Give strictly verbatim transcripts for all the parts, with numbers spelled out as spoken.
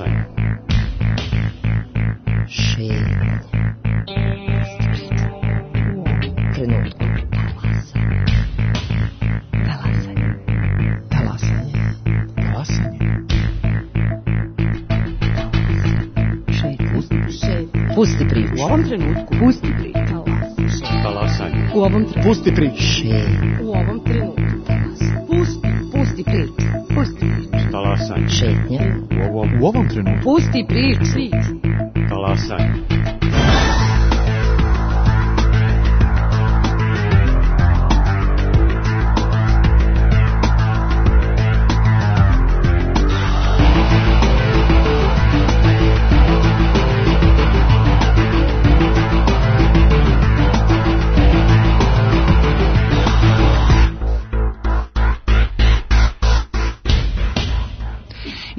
Talasanje. Šetnja. Trenutku. Talasanje. Talasanje. Talasanje. Šetnja. Pusti priču. U ovom trenutku. Pusti priču. Talasanje. U ovom trenutku. Pusti priču. Šetnja. U ovom trenutku. Pusti, pusti priču. Pusti priču. Talasanje. Šetnja. U ovom, U ovom trenutku. Pusti priču. talasanje.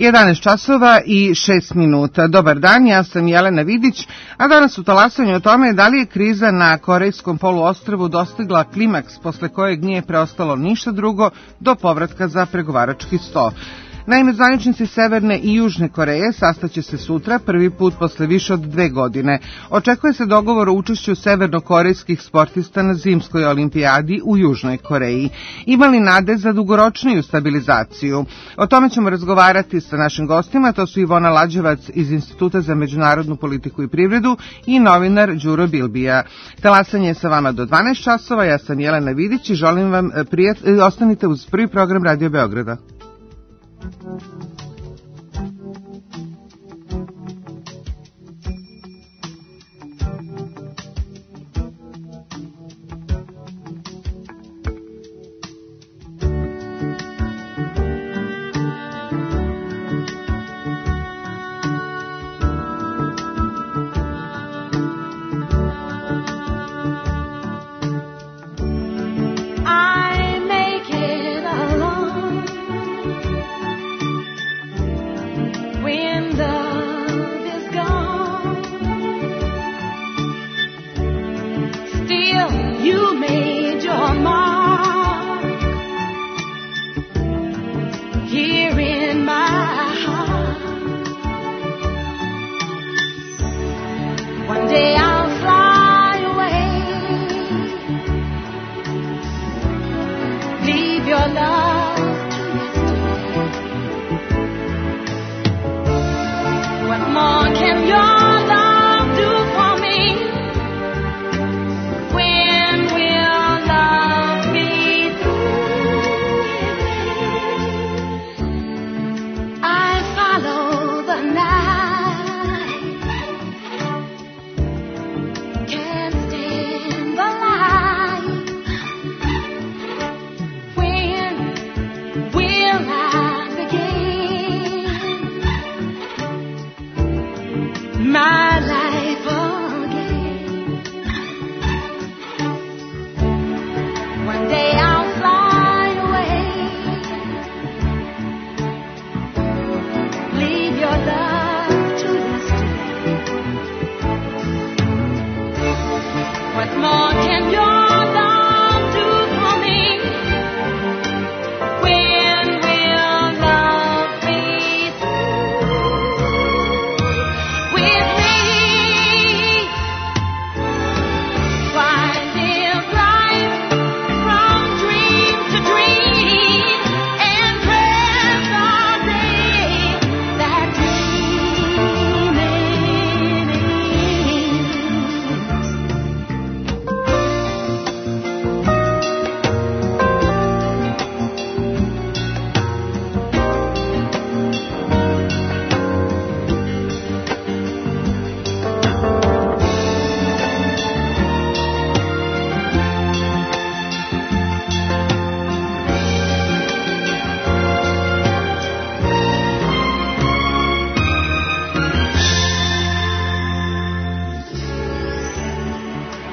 jedanaest časova i šest minuta. Dobar dan, ja sam Jelena Vidić, a danas u talasanju o tome da li je kriza na Korejskom poluostrvu dostigla klimaks posle kojeg nije preostalo ništa drugo do povratka za pregovarački sto. Naime, zvaničnici Severne i Južne Koreje sastaće se sutra, prvi put posle više od dve godine. Očekuje se dogovor o učešću severnokorejskih sportista na zimskoj olimpijadi u Južnoj Koreji. Ima li nade za dugoročniju stabilizaciju? O tome ćemo razgovarati sa našim gostima, to su Ivona Lađevac iz Instituta za međunarodnu politiku i privredu i novinar Đuro Bilbija. Talasanje je sa vama do dvanaest časova, ja sam Jelena Vidić i želim vam prijat... ostanite uz prvi program Radio Beograda.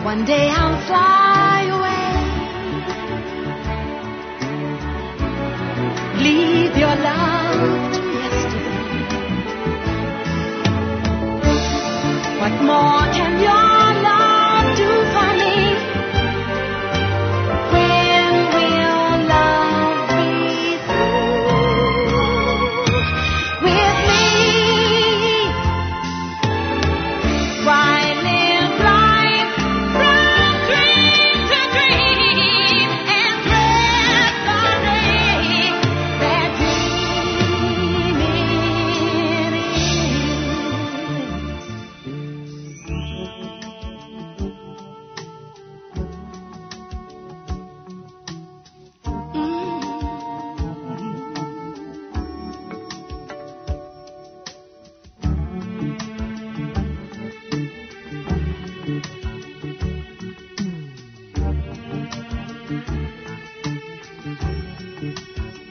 One day I'll fly away, leave your love to yesterday. What more can your love do for me? When will love be through with me?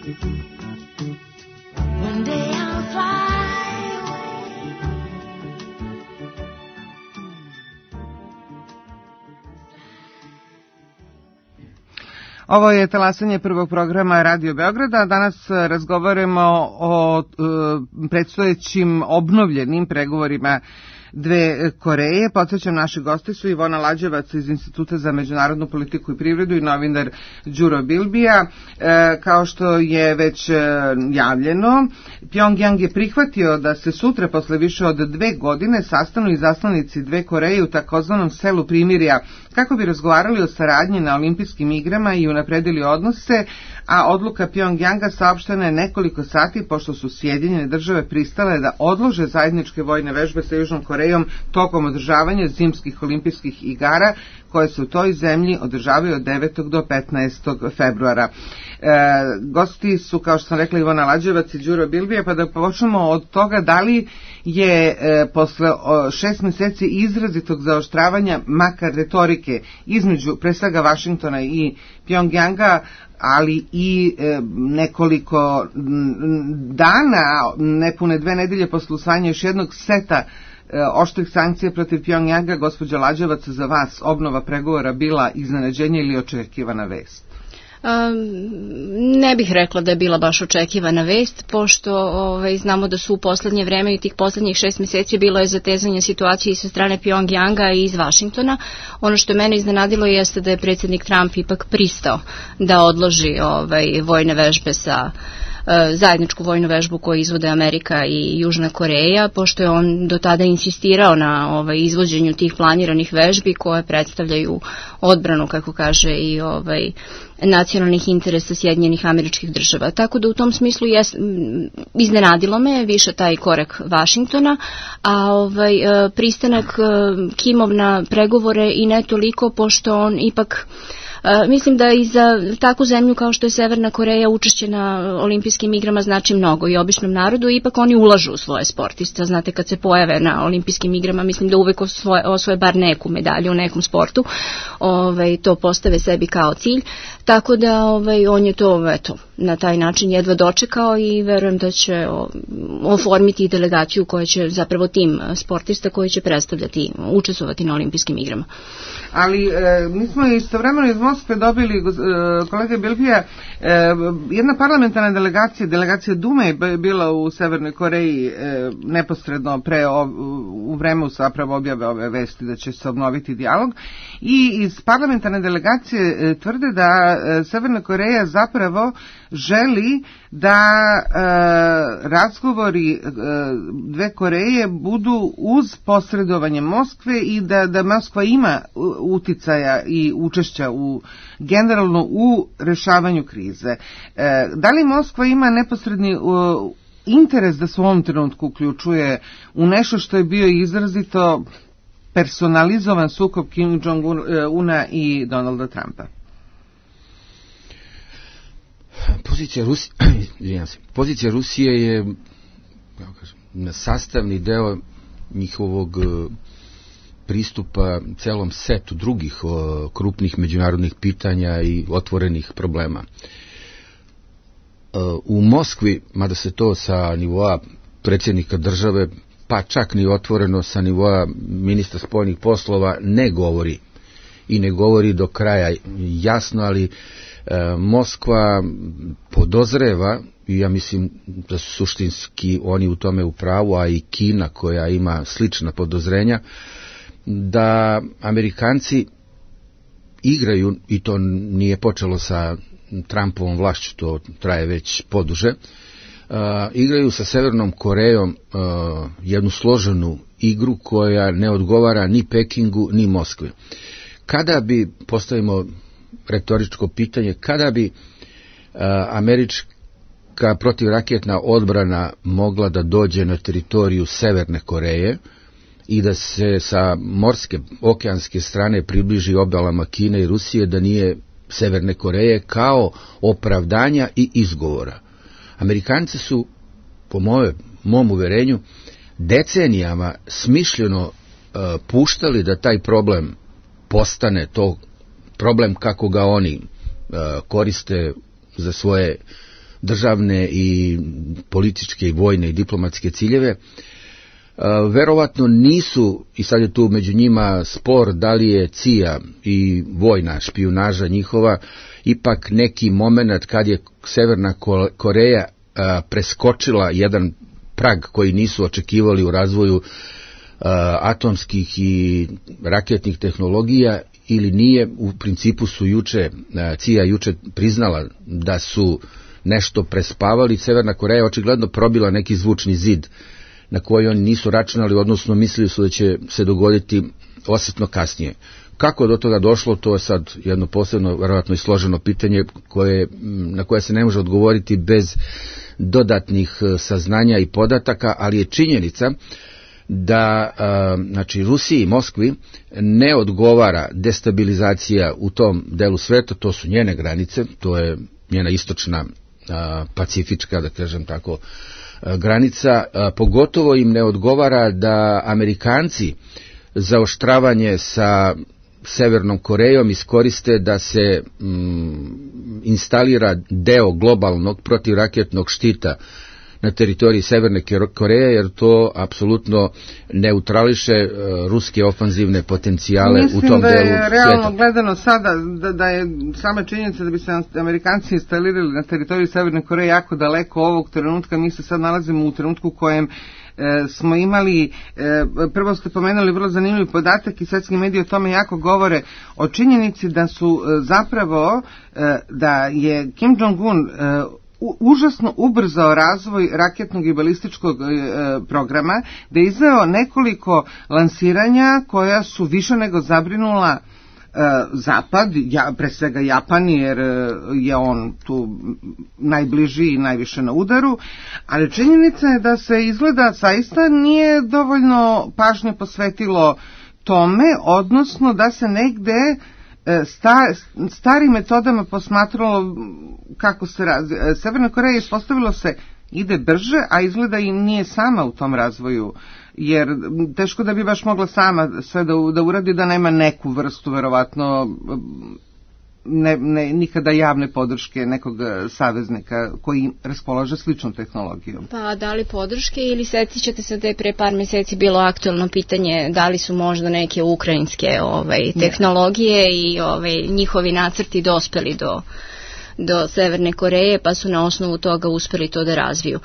One day I'll fly away. Ovo je talasanje prvog programa Radio Beograda. Danas razgovaramo o e, predstojećim obnovljenim pregovorima dve Koreje. Podsjećam, naši gosti su Ivona Lađevac iz Instituta za međunarodnu politiku i privredu i novinar Đuro Bilbija. E, kao što je već e, javljeno, Pjongjang je prihvatio da se sutra posle više od dve godine sastanu izaslanici dve Koreje u takozvanom selu primirja kako bi razgovarali o saradnji na olimpijskim igrama i unapredili odnose, a odluka Pjongjanga saopštena je nekoliko sati pošto su Sjedinjene države pristale da odlože zajedničke vojne vežbe sa Južnom Korejom tokom održavanja zimskih olimpijskih igara koje se u toj zemlji održavaju od devetog do petnaestog februara. E, gosti su, kao što sam rekla, Ivona Lađevac i Đuro Bilbija, pa da počnemo od toga da li je e, posle o, šest meseci izrazitog zaoštravanja makar retorike između pre svega Vašingtona i Pjongjanga, ali i e, nekoliko dana, nepune dve nedelje posle usvajanja još jednog seta oštrih sankcija protiv Pjongjanga, gospođa Lađevac, za vas obnova pregovora bila iznenađenje ili očekivana vest? Um, ne bih rekla da je bila baš očekivana vest, pošto ovaj, znamo da su u poslednje vreme i tih poslednjih šest meseci bilo je zatezanje situacije sa strane Pjongjanga i iz Vašingtona. Ono što je mene iznenadilo jeste da je predsjednik Trump ipak pristao da odloži ovaj, vojne vežbe sa zajedničku vojnu vežbu koju izvode Amerika i Južna Koreja, pošto je on do tada insistirao na ovaj, izvođenju tih planiranih vežbi koje predstavljaju odbranu, kako kaže, i ovaj, nacionalnih interesa Sjedinjenih Američkih Država. Tako da u tom smislu je, iznenadilo me više taj korak Vašingtona, a ovaj, pristanak Kimov na pregovore i ne toliko, pošto on ipak Uh, mislim da i za takvu zemlju kao što je Severna Koreja učešće na olimpijskim igrama znači mnogo i običnom narodu, ipak oni ulažu u svoje sportiste. Znate, kad se pojave na olimpijskim igrama, mislim da uvek osvoje, osvoje bar neku medalju u nekom sportu, ovaj, to postave sebi kao cilj, tako da ovaj, on je to eto, na taj način jedva dočekao i verujem da će oformiti delegaciju koja će zapravo tim sportista koji će predstavljati, učestvovati na olimpijskim igrama. Ali e, mi smo istovremeno iz Moskve dobili, e, kolega Bilbija, e, jedna parlamentarna delegacija, delegacija Dume je bila u Severnoj Koreji e, neposredno pre, o, u vremenu zapravo objave ove vesti da će se obnoviti dijalog, i iz parlamentarne delegacije e, tvrde da e, Severna Koreja zapravo želi da e, razgovori e, dve Koreje budu uz posredovanje Moskve i da, da Moskva ima uticaja i učešća u, generalno u rešavanju krize. E, da li Moskva ima neposredni u, interes da se u ovom trenutku uključuje u nešto što je bio izrazito personalizovan sukob Kim Jong-una i Donalda Trumpa? Pozicija Rusije, pozicija Rusije je, kako kažem, sastavni deo njihovog pristupa celom setu drugih o, krupnih međunarodnih pitanja i otvorenih problema. U Moskvi, mada se to sa nivoa predsjednika države, pa čak ni otvoreno sa nivoa ministra spoljnih poslova, ne govori. I ne govori do kraja jasno, ali e, Moskva podozreva, i ja mislim da su suštinski oni u tome u pravu, a i Kina koja ima slična podozrenja, da Amerikanci igraju, i to nije počelo sa Trumpovom vlašću, to traje već poduže, uh, igraju sa Severnom Korejom uh, jednu složenu igru koja ne odgovara ni Pekingu ni Moskvi. Kada bi, postavimo retoričko pitanje, kada bi uh, američka protivraketna odbrana mogla da dođe na teritoriju Severne Koreje i da se sa morske, okeanske strane približi obalama Kine i Rusije, da nije Severne Koreje, kao opravdanja i izgovora. Amerikanci su, po moje, mom uverenju, decenijama smišljeno uh, puštali da taj problem postane to problem kako ga oni uh, koriste za svoje državne i političke i vojne i diplomatske ciljeve. Verovatno nisu, i sad je tu među njima spor da li je C I A i vojna špijunaža njihova ipak neki moment kad je Severna Koreja preskočila jedan prag koji nisu očekivali u razvoju atomskih i raketnih tehnologija ili nije. U principu su juče, C I A juče priznala da su nešto prespavali. Severna Koreja očigledno probila neki zvučni zid na koji oni nisu računali, odnosno mislili su da će se dogoditi osjetno kasnije. Kako do toga došlo, to je sad jedno posebno, verovatno i složeno pitanje koje, na koje se ne može odgovoriti bez dodatnih saznanja i podataka, ali je činjenica da znači Rusiji i Moskvi ne odgovara destabilizacija u tom delu sveta, to su njene granice, to je njena istočna pacifička, da kažem tako, granica, pogotovo im ne odgovara da Amerikanci zaoštravanje sa Severnom Korejom iskoriste da se mm, instalira deo globalnog protivraketnog štita na teritoriji Severne Koreje, jer to apsolutno neutrališe uh, ruske ofanzivne potencijale Mislim u tom delu sveta. Mislim da je realno svijeta. Gledano sada da, da je sama činjenica da bi se Amerikanci instalirali na teritoriji Severne Koreje jako daleko ovog trenutka. Mi se sad nalazimo u trenutku u kojem e, smo imali, e, prvo ste pomenuli vrlo zanimljiv podatak i svetski mediji o tome jako govore o činjenici da su e, zapravo e, da je Kim Jong-un e, užasno ubrzao razvoj raketnog i balističkog e, programa, da je izveo nekoliko lansiranja koja su više nego zabrinula e, Zapad, ja, pre svega Japan, jer je on tu najbliži i najviše na udaru, ali činjenica je da se izgleda zaista nije dovoljno pažnje posvetilo tome, odnosno da se negde Sta, starim metodama posmatralo kako se razvija. Severna Koreja ispostavilo se ide brže, a izgleda i nije sama u tom razvoju, jer teško da bi baš mogla sama sve da, da uradi, da nema neku vrstu, verovatno, ne, ne, nikada javne podrške nekog saveznika koji raspolaže sličnom tehnologijom. Pa da li podrške ili setit ćete se da je pre par meseci bilo aktualno pitanje da li su možda neke ukrajinske ovaj, tehnologije i ovaj, njihovi nacrti dospeli do, do Severne Koreje, pa su na osnovu toga uspeli to da razviju.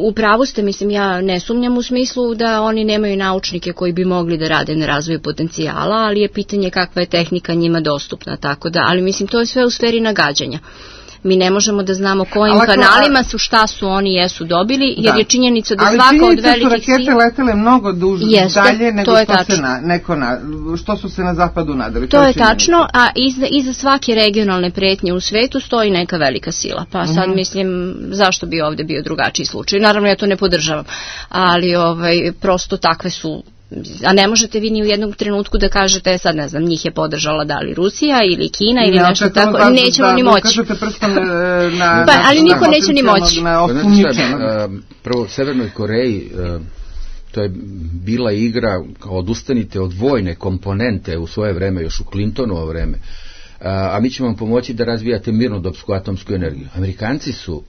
U pravu ste, mislim, ja ne sumnjam u smislu da oni nemaju naučnike koji bi mogli da rade na razvoju potencijala, ali je pitanje kakva je tehnika njima dostupna, tako da, ali mislim to je sve u sferi nagađanja. Mi ne možemo da znamo kojim ali, kanalima su, šta su oni jesu dobili, jer da. je činjenica da ali svaka od velikih... Ali činjenica su rakete letele mnogo duže dalje nego što, se na, neko na, što su se na zapadu nadali. To, to je, je tačno, a iza, iza svake regionalne pretnje u svetu stoji neka velika sila. Pa sad mm-hmm. mislim, zašto bi ovde bio drugačiji slučaj? Naravno, ja to ne podržavam, ali ovaj, prosto takve su... A ne možete vi ni u jednom trenutku da kažete, sad ne znam, njih je podržala da li Rusija ili Kina ili ne, nešto tako, da, nećemo da, ni moći. Na, pa, ali niko neće ni moći. Na, prvo, Severnoj Koreji, to je bila igra, kao odustanite od vojne komponente u svoje vreme, još u Clintonovo vreme, a mi ćemo vam pomoći da razvijate mirnodopsku atomsku energiju. Amerikanci su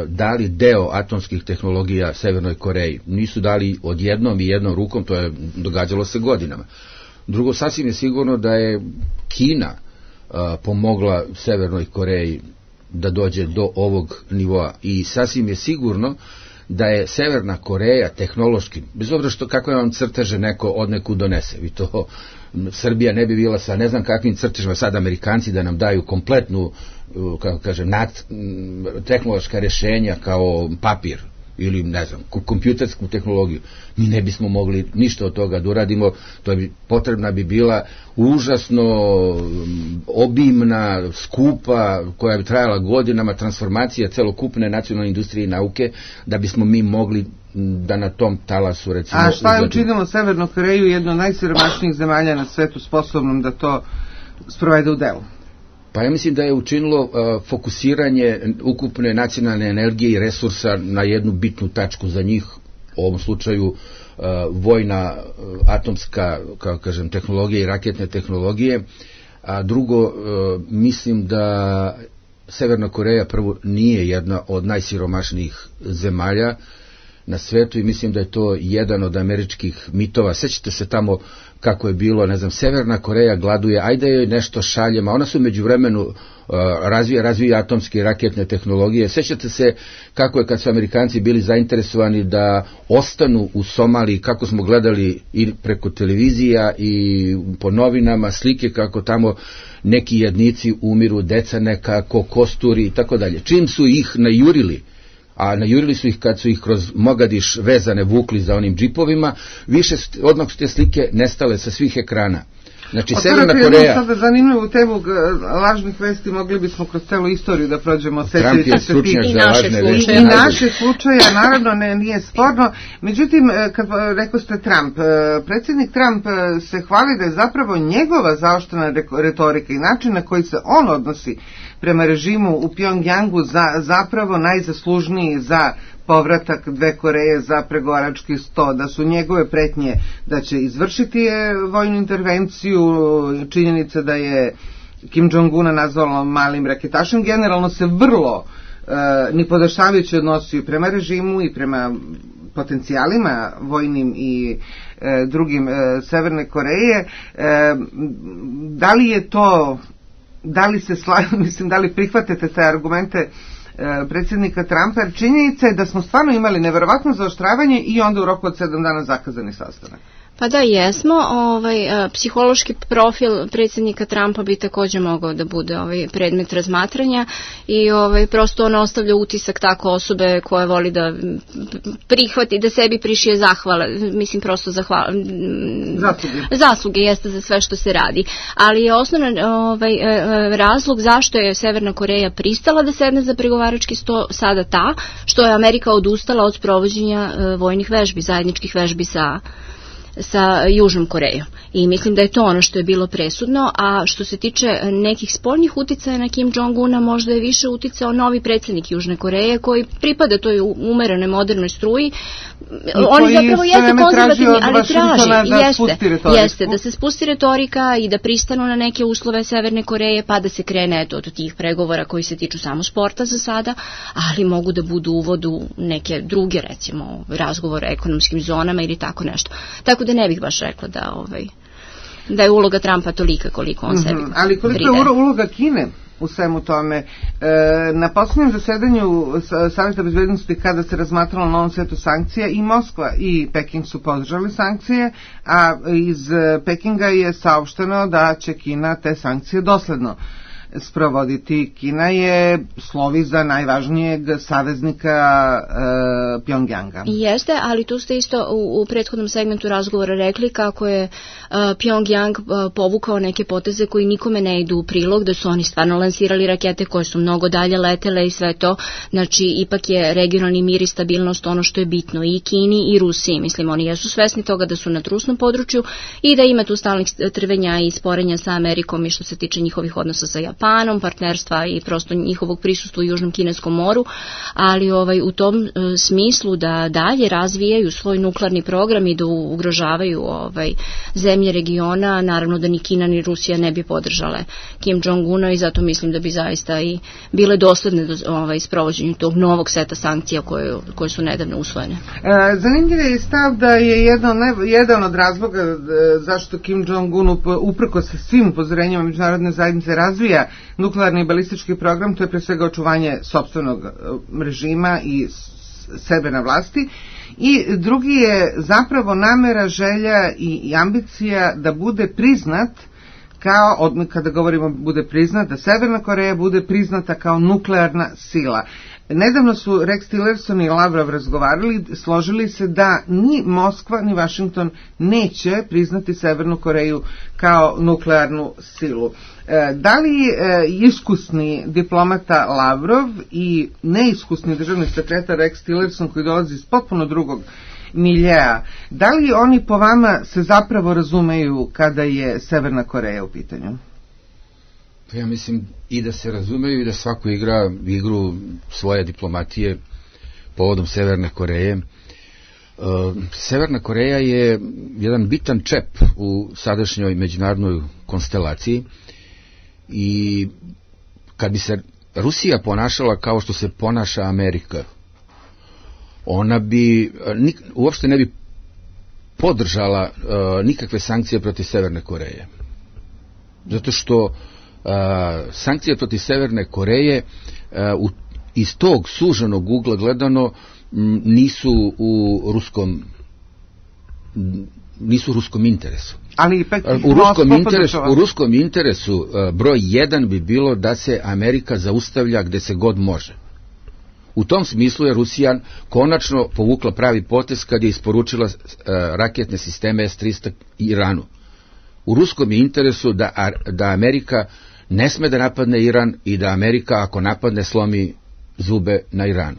dali deo atomskih tehnologija Severnoj Koreji. Nisu dali odjednom i jednom rukom, to je događalo se godinama. Drugo, sasvim je sigurno da je Kina uh, pomogla Severnoj Koreji da dođe do ovog nivoa i sasvim je sigurno da je Severna Koreja tehnološki, bez obzira što kakve vam crteže neko od neku donese, vi to, Srbija ne bi bila sa ne znam kakvim crtežima sad Amerikanci da nam daju kompletnu, kako kažem, nad, tehnološka rješenja kao papir ili ne znam, kompjutersku tehnologiju, mi ne bismo mogli ništa od toga da uradimo, to bi, potrebna bi bila užasno obimna, skupa, koja bi trajala godinama, transformacija celokupne nacionalne industrije i nauke, da bismo mi mogli da na tom talasu recimo... A šta je učinilo Severnu Koreju, jedno od najsiromašnijih zemalja na svetu, sposobnom da to sprovede u delu? Pa ja mislim da je učinilo uh, fokusiranje ukupne nacionalne energije i resursa na jednu bitnu tačku za njih, u ovom slučaju uh, vojna, uh, atomska, kao kažem, tehnologija i raketne tehnologije. A drugo, uh, mislim da Severna Koreja prvo nije jedna od najsiromašnijih zemalja na svetu i mislim da je to jedan od američkih mitova. Sećate se tamo kako je bilo, ne znam, Severna Koreja gladuje, ajde joj nešto šaljemo, ona su među vremenu uh, razvija, razvija atomske i raketne tehnologije. Sećate se kako je kad su Amerikanci bili zainteresovani da ostanu u Somaliji, kako smo gledali i preko televizija i po novinama slike kako tamo neki jadnici umiru, deca nekako kosturi i tako dalje. Čim su ih najurili, a najurili su ih kad su ih kroz Mogadiš vezane vukli za onim džipovima, više odmah su te slike nestale sa svih ekrana. Znači, Severna Koreja... Sada zanimljivu temu lažnih vesti, mogli bismo kroz celu istoriju da prođemo. Trump je stručnjak za lažne vesti. I naše slučaja, naravno, ne, nije sporno. Međutim, kad rekao ste Trump, predsjednik Trump se hvali da je zapravo njegova zaoštrena retorika i način na koji se on odnosi prema režimu u Pjongjangu za, zapravo najzaslužniji za povratak dve Koreje za pregovarački sto, da su njegove pretnje da će izvršiti vojnu intervenciju, činjenica da je Kim Jong-una nazvalo malim raketašem, generalno se vrlo e, nipodaštavajuće odnosio prema režimu i prema potencijalima vojnim i e, drugim e, Severne Koreje. E, da li je to, da li se sla, mislim, da li prihvatate te argumente predsjednika Trumpa, jer činjenica je da smo stvarno imali neverovatno zaoštravanje i onda u roku od sedam dana zakazani sastanak. Pa da, jesmo. Ovaj, psihološki profil predsjednika Trumpa bi također mogao da bude ovaj predmet razmatranja i ovaj, prosto on ostavlja utisak tako osobe koje voli da prihvati, da sebi prišije zahvale, mislim prosto zahvala, zasluge. zasluge jeste za sve što se radi. Ali je osnovan ovaj, razlog zašto je Severna Koreja pristala da sedne za pregovarački sto sada ta, što je Amerika odustala od sprovođenja vojnih vežbi, zajedničkih vežbi sa sa Južnom Korejom. I mislim da je to ono što je bilo presudno, a što se tiče nekih spoljnih uticaja na Kim Jong-una, možda je više uticao novi predsjednik Južne Koreje koji pripada toj umerenoj modernoj struji. Oni zapravo jeste konzervativni, ali traži, da jeste, jeste da se spusti retorika i da pristanu na neke uslove Severne Koreje, pa da se krene eto, od tih pregovora koji se tiču samo sporta za sada, ali mogu da budu uvod u neke druge, recimo, razgovore o ekonomskim zonama ili tako nešto. Tako da ne bih baš rekla da, ovaj, da je uloga Trumpa tolika koliko on sebi mm-hmm. Ali koliko je uloga Kine u svemu tome? E, na posljednjem zasedanju Savjeta bezbednosti kada se razmatralo na ovom setu sankcija i Moskva i Peking su podržali sankcije, a iz Pekinga je saopšteno da će Kina te sankcije dosledno sprovoditi. Kina je slovi za najvažnijeg saveznika e, Pjongjanga. Jeste, ali tu ste isto u, u prethodnom segmentu razgovora rekli kako je e, Pjongjang e, povukao neke poteze koji nikome ne idu u prilog, da su oni stvarno lansirali rakete koje su mnogo dalje letele i sve to. Znači, ipak je regionalni mir i stabilnost ono što je bitno i Kini i Rusiji. Mislim, oni jesu svesni toga da su na trusnom području i da ima tu stalnih trvenja i sporenja sa Amerikom i što se tiče njihovih odnosa sa Japanom, Japanom, partnerstva i prosto njihovog prisustva u Južnom Kineskom moru, ali ovaj, u tom e, smislu da dalje razvijaju svoj nuklearni program i da ugrožavaju ovaj, zemlje regiona, naravno da ni Kina ni Rusija ne bi podržale Kim Jong-una i zato mislim da bi zaista i bile dosledne do ovaj, sprovođenju tog novog seta sankcija koje, koje su nedavno usvojene. E, zanimljiv je stav da je jedan, jedan od razloga e, zašto Kim Jong-un uprko sa svim upozorenjima međunarodne zajednice razvija nuklearni i balistički program, to je pre svega očuvanje sopstvenog režima i sebe na vlasti. I drugi je zapravo namera, želja i, i ambicija da bude priznat kao, od, kada govorimo bude priznat, da Severna Koreja bude priznata kao nuklearna sila. Nedavno su Rex Tillerson i Lavrov razgovarali, složili se da ni Moskva ni Washington neće priznati Severnu Koreju kao nuklearnu silu. E, da li e, iskusni diplomata Lavrov i neiskusni državni sekretar Rex Tillerson koji dolazi iz potpuno drugog miljeja, da li oni po vama se zapravo razumeju kada je Severna Koreja u pitanju? Ja mislim i da se razumeju i da svako igra igru svoje diplomatije povodom Severne Koreje. Severna Koreja je jedan bitan čep u sadašnjoj međunarodnoj konstelaciji i kad bi se Rusija ponašala kao što se ponaša Amerika, ona bi nik, uopšte ne bi podržala uh, nikakve sankcije protiv Severne Koreje. Zato što uh, sankcije protiv Severne Koreje uh, u, iz tog suženog ugla gledano m, nisu u ruskom nisu u ruskom interesu. Ali ipak u ruskom interesu, u ruskom interesu uh, broj jedan bi bilo da se Amerika zaustavlja gde se god može. U tom smislu je Rusija konačno povukla pravi potez kad je isporučila uh, raketne sisteme S tristo Iranu. U ruskom je interesu da, da Amerika ne sme da napadne Iran i da Amerika ako napadne slomi zube na Iranu.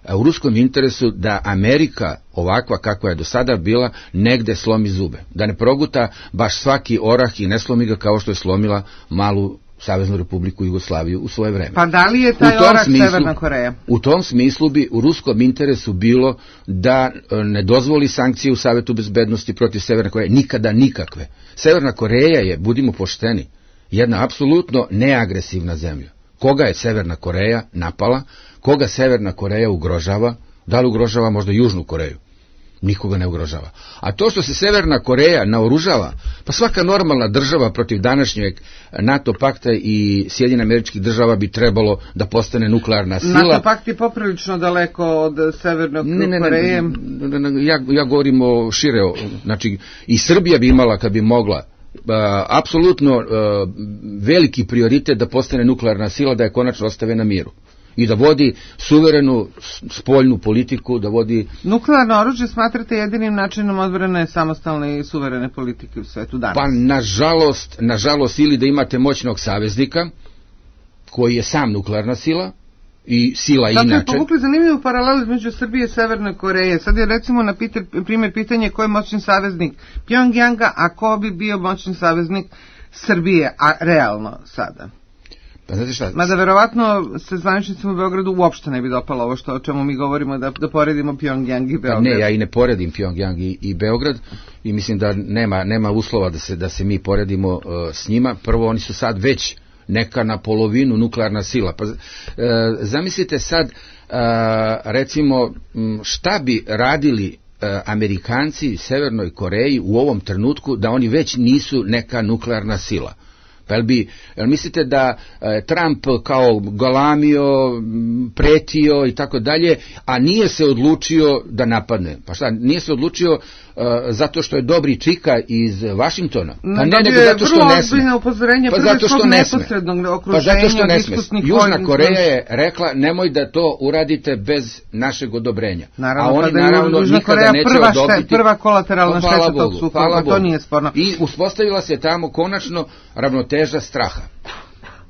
A u ruskom interesu da Amerika, ovakva kakva je do sada bila, negde slomi zube. Da ne proguta baš svaki orah i ne slomi ga kao što je slomila malu Saveznu Republiku Jugoslaviju u svoje vreme. Pa da li je taj orah smislu, Severna Koreja? U tom smislu bi u ruskom interesu bilo da ne dozvoli sankcije u Savetu bezbednosti protiv Severne Koreje, nikada nikakve. Severna Koreja je, budimo pošteni, jedna apsolutno neagresivna zemlja. Koga je Severna Koreja napala, koga Severna Koreja ugrožava, da li ugrožava možda Južnu Koreju? Nikoga ne ugrožava. A to što se Severna Koreja naoružava, pa svaka normalna država protiv današnjeg NATO pakta i Sjedinjenih Američkih Država bi trebalo da postane nuklearna sila. NATO pakt je poprilično daleko od Severne ne, ne, Koreje. Ne, ne, ne, ja, ja govorim o šire, znači i Srbija bi imala kad bi mogla Uh, apsolutno uh, veliki prioritet da postane nuklearna sila, da je konačno ostave na miru i da vodi suverenu spoljnu politiku, da vodi... Nuklearno oružje smatrate jedinim načinom odbrane samostalne i suverene politike u svetu danas? Pa nažalost, nažalost ili da imate moćnog saveznika koji je sam nuklearna sila i sila Zato inače. Zato je povukli zanimljivu paralelu između Srbije i Severne Koreje. Sad je recimo na pite, primjer pitanje ko je moćni saveznik Pjongjanga, a ko bi bio moćni saveznik Srbije, a realno sada. Pa znate šta? Mada verovatno se zvaničnicima u Beogradu uopšte ne bi dopalo ovo što o čemu mi govorimo, da, da poredimo Pjongjang i Beograd. Pa ne, ja i ne poredim Pjongjang i, i Beograd i mislim da nema, nema uslova da se, da se mi poredimo uh, s njima. Prvo, oni su sad već neka na polovinu nuklearna sila. Pa, e, zamislite sad, e, recimo, šta bi radili e, Amerikanci Severnoj Koreji u ovom trenutku da oni već nisu neka nuklearna sila? Pa jel bi, jel mislite da e, Trump kao galamio, pretio i tako dalje, a nije se odlučio da napadne? Pa šta, nije se odlučio Uh, zato što je dobri čika iz Vašingtona? Pa ne, nego zato što ne sme. Pa zato što ne sme. Pa zato što ne sme. Južna Koreja je rekla nemoj da to uradite bez našeg odobrenja. Naravno, a oni pa naravno nikada neće prva odobiti. Šte, prva kolateralna pa, šteta Bogu, tog sukoba, to nije sporno. I uspostavila se tamo konačno ravnoteža straha.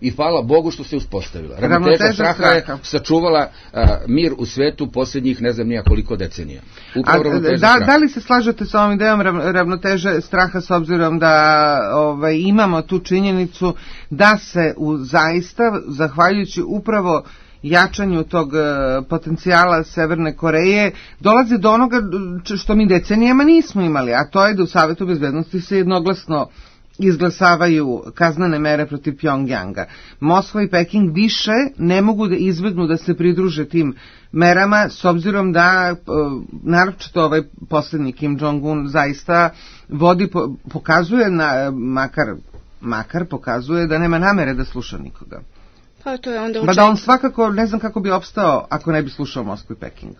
I hvala Bogu što se uspostavila. Ravnoteža straha je sačuvala a, mir u svetu posljednjih ne znam nija koliko decenija. A, da, da li se slažete sa ovom idejom ravnoteže straha s obzirom da ovaj, imamo tu činjenicu da se u zaista, zahvaljujući upravo jačanju tog uh, potencijala Severne Koreje, dolazi do onoga što mi decenijama nismo imali, a to je da u Savetu bezbednosti se jednoglasno izglasavaju kaznene mere protiv Pjongjanga. Moskva i Peking više ne mogu da izbegnu da se pridruže tim merama, s obzirom da naročito ovaj posljednji Kim Jong-un zaista vodi, pokazuje, na, makar, makar pokazuje da nema namere da sluša nikoga. Pa to je onda učin... da on svakako, ne znam kako bi opstao ako ne bi slušao Moskvu i Peking.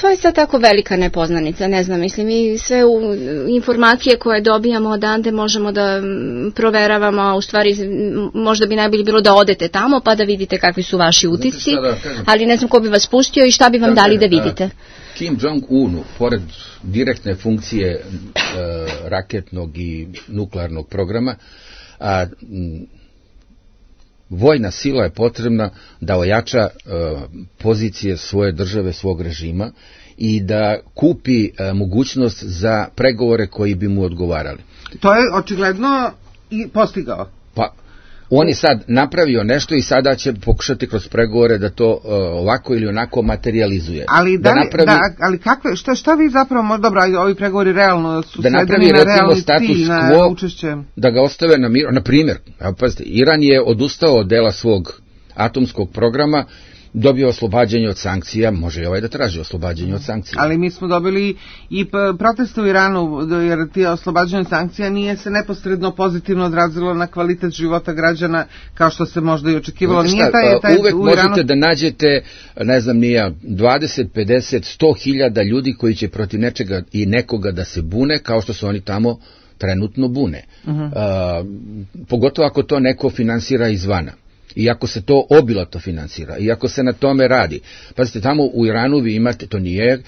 To je sad tako velika nepoznanica, ne znam, mislim, mi sve u, informacije koje dobijamo odande možemo da proveravamo, a u stvari možda bi najbolje bilo da odete tamo pa da vidite kakvi su vaši utisci, da ali ne znam ko bi vas pustio i šta bi vam da, dali da vidite. Kim Jong-unu, pored direktne funkcije e, raketnog i nuklearnog programa, a vojna sila je potrebna da ojača e, pozicije svoje države, svog režima i da kupi e, mogućnost za pregovore koji bi mu odgovarali. To je očigledno i postigao. Pa, on je sad napravio nešto i sada će pokušati kroz pregovore da to uh, ovako ili onako materializuje. Ali, da, da napravi, da, ali kakve, šta, šta vi zapravo, dobro, ovi pregovori realno su da napravi na recimo status quo, na, na da ga ostave na miru. Na primjer, pazite, Iran je odustao od dela svog atomskog programa, dobio oslobađanje od sankcija, može i ovaj da traži oslobađanje od sankcija. Ali mi smo dobili i proteste u Iranu, jer ti oslobađanje od sankcija nije se neposredno pozitivno odrazilo na kvalitet života građana, kao što se možda i očekivalo. Šta, nije taj, taj, uvek u možete Iranu... da nađete, ne znam nija, dvadeset, pedeset, sto hiljada ljudi koji će protiv nečega i nekoga da se bune, kao što su oni tamo trenutno bune. Uh-huh. Uh, pogotovo ako to neko finansira izvana. I ako se to obilato finansira, i ako se na tome radi. Pazite, tamo u Iranu vi imate, to nije,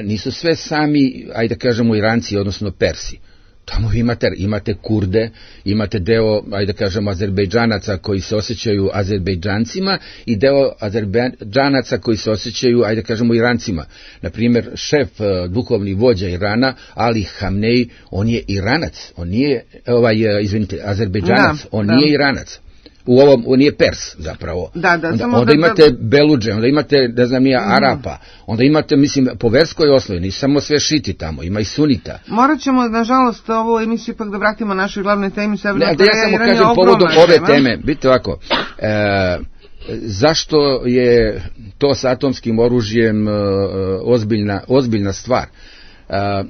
nisu sve sami, ajde da kažemo, Iranci, odnosno Persi. Tamo imate, imate Kurde, imate deo, ajde da kažemo, Azerbejdžanaca koji se osjećaju Azerbejdžancima i deo Azerbejdžanaca koji se osjećaju, ajde da kažemo, Irancima. Naprimjer, šef, duhovni vođa Irana, Ali Hamnej, on je Iranac, on nije, ovaj, izvinite, Azerbejdžanac, da, on da. nije Iranac. U ovom, on nije Pers zapravo. Da, da, onda, onda da, imate da... Beludže, onda imate, ne znam, nija Arapa, onda imate, mislim, po verskoj osnovi, nisu samo sve šiti tamo, ima i sunita. Morat ćemo, nažalost, ovu emisiju ipak da vratimo našoj glavnoj temi. Ne, da ja samo kažem povodom ove tema. teme, vidite ovako, e, zašto je to sa atomskim oružjem e, ozbiljna, ozbiljna stvar? E,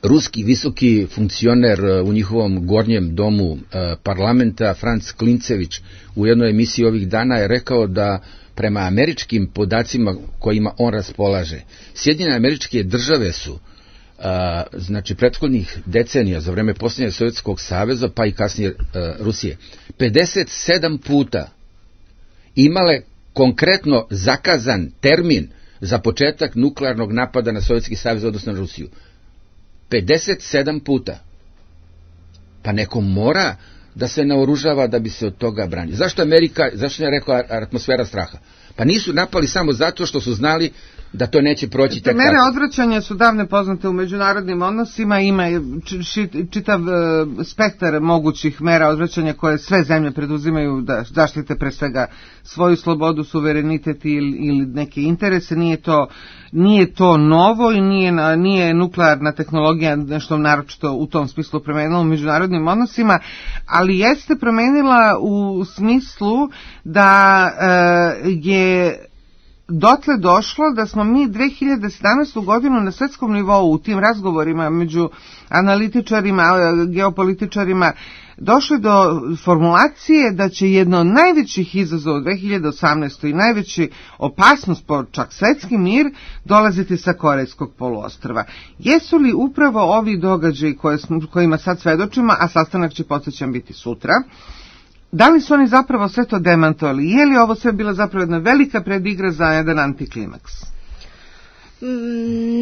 Ruski visoki funkcioner u njihovom gornjem domu e, parlamenta, Franc Klincević, u jednoj emisiji ovih dana je rekao da prema američkim podacima kojima on raspolaže, Sjedinjene Američke Države su, e, znači prethodnih decenija, za vreme posljednjeg Sovjetskog saveza, pa i kasnije e, Rusije, pedeset sedam puta imale konkretno zakazan termin za početak nuklearnog napada na Sovjetski savez, odnosno na Rusiju. pedeset sedam puta. Pa neko mora da se naoružava da bi se od toga branio. Zašto Amerika, zašto je rekla atmosfera straha? Pa nisu napali samo zato što su znali da to neće proći tek tako. Mere odvraćanja su davne poznate u međunarodnim odnosima, ima čitav spektar mogućih mera odvraćanja koje sve zemlje preduzimaju da zaštite pre svega svoju slobodu, suverenitet ili, ili neke interese. Nije to, nije to novo i nije, nije nuklearna tehnologija nešto naročito u tom smislu promenila u međunarodnim odnosima, ali jeste promenila u smislu da e, je dotle došlo da smo mi dve hiljade sedamnaestu. godinu na svetskom nivou u tim razgovorima među analitičarima, geopolitičarima došli do formulacije da će jedno od najvećih izazova u dve hiljade osamnaestoj. i najveći opasnost po čak svetski mir dolaziti sa Korejskog poluostrva. Jesu li upravo ovi događaji koje smo, kojima sad svedočimo, a sastanak će, podsjećam, biti sutra, da li su oni zapravo sve to demantovali? Je li ovo sve bila zapravo jedna velika predigra za jedan antiklimaks?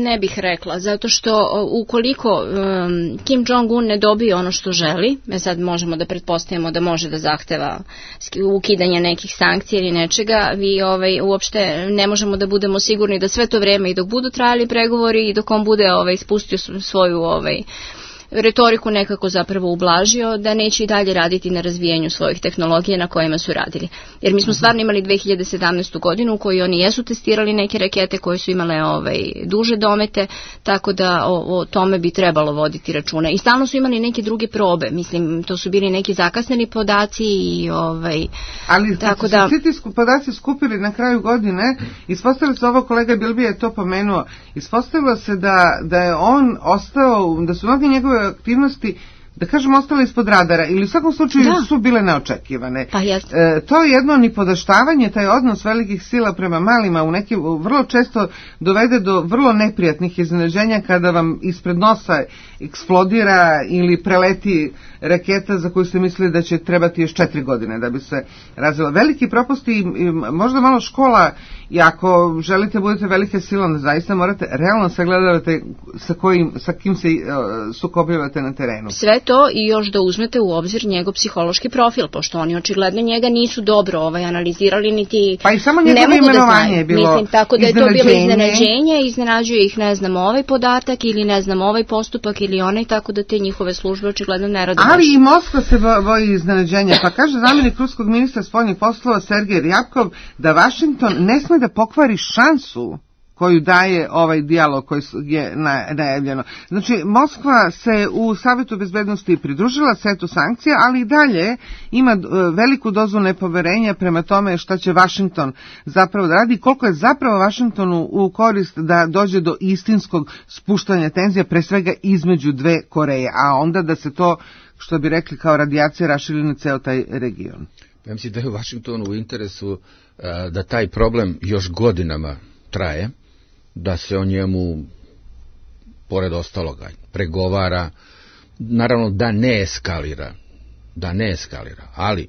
Ne bih rekla, zato što ukoliko um, Kim Jong-un ne dobije ono što želi, me sad možemo da pretpostavimo da može da zahteva ukidanje nekih sankcija ili nečega, vi ovaj, uopšte ne možemo da budemo sigurni da sve to vreme i dok budu trajali pregovori i dok on bude ovaj, spustio svoju ovaj, retoriku nekako zapravo ublažio, da neće i dalje raditi na razvijenju svojih tehnologija na kojima su radili. Jer mi smo stvarno imali dve hiljade sedamnaestu. godinu u kojoj oni jesu testirali neke rakete koje su imale ovaj, duže domete, tako da o, o tome bi trebalo voditi računa. I stalno su imali neke druge probe, mislim, to su bili neki zakasneni podaci i ovaj... Ali tako da su svi ti podaci skupili na kraju godine, ispostavilo se, ovo kolega Bilbi je to pomenuo, ispostavilo se da, da je on ostao, da su mnogi njegove aktivnosti, da kažemo, ostale ispod radara ili u svakom slučaju da. su bile neočekivane. Pa e, to je jedno nipodaštavanje, taj odnos velikih sila prema malima u nekim vrlo često dovede do vrlo neprijatnih iznenađenja kada vam ispred nosa eksplodira ili preleti raketa za koju ste mislili da će trebati još četiri godine da bi se razvila. Veliki propusti i možda malo škola, i ako želite budete velike sile, onda zaista morate realno sagledavate sa, kojim, sa kim se uh, sukobljavate na terenu. Sve to i još da uzmete u obzir njegov psihološki profil, pošto oni očigledno njega nisu dobro ovaj, analizirali, niti pa i samo njegovo imenovanje je bilo Mislim, tako da je to bilo iznenađenje, iznenađuje ih, ne znam, ovaj podatak ili ne znam, ovaj postupak ili onaj, tako da te njihove službe očigledno ne rade. Ali i Moskva se boji iznenađenja, pa kaže zamjenik ruskog ministra spoljnih poslova Sergej Ryabkov da Vašington ne sme da pokvari šansu koju daje ovaj dijalog koji je najavljeno. Znači, Moskva se u Savetu bezbednosti pridružila setu sankcija, ali i dalje ima veliku dozu nepoverenja prema tome šta će Vašington zapravo da radi, koliko je zapravo Vašingtonu u korist da dođe do istinskog spuštanja tenzija, pre svega između dve Koreje, a onda da se to, što bi rekli, kao radijacija raširi na ceo taj region. Ja mislim da je u Vašingtonu u interesu da taj problem još godinama traje, da se o njemu, pored ostaloga, pregovara, naravno da ne eskalira, da ne eskalira, ali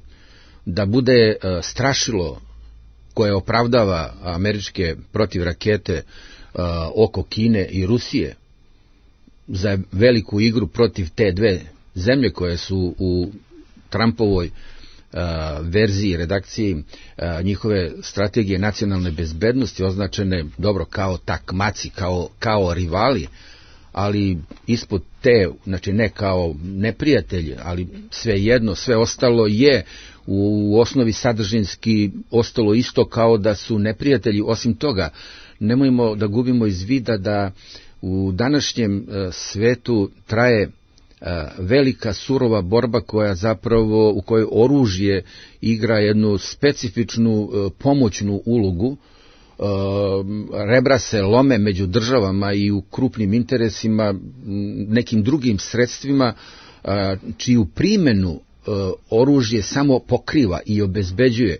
da bude strašilo koje opravdava američke protivrakete oko Kine i Rusije za veliku igru protiv te dve zemlje koje su u Trumpovoj Uh, verziji, redakciji uh, njihove strategije nacionalne bezbednosti označene dobro kao takmaci, kao, kao rivali, ali ispod te, znači ne kao neprijatelji, ali svejedno, sve ostalo je u osnovi sadržinski ostalo isto kao da su neprijatelji. Osim toga, nemojmo da gubimo iz vida da u današnjem uh, svetu traje velika surova borba koja zapravo, u kojoj oružje igra jednu specifičnu pomoćnu ulogu. Rebra se lome među državama i u krupnim interesima, nekim drugim sredstvima čiju primjenu oružje samo pokriva i obezbeđuje.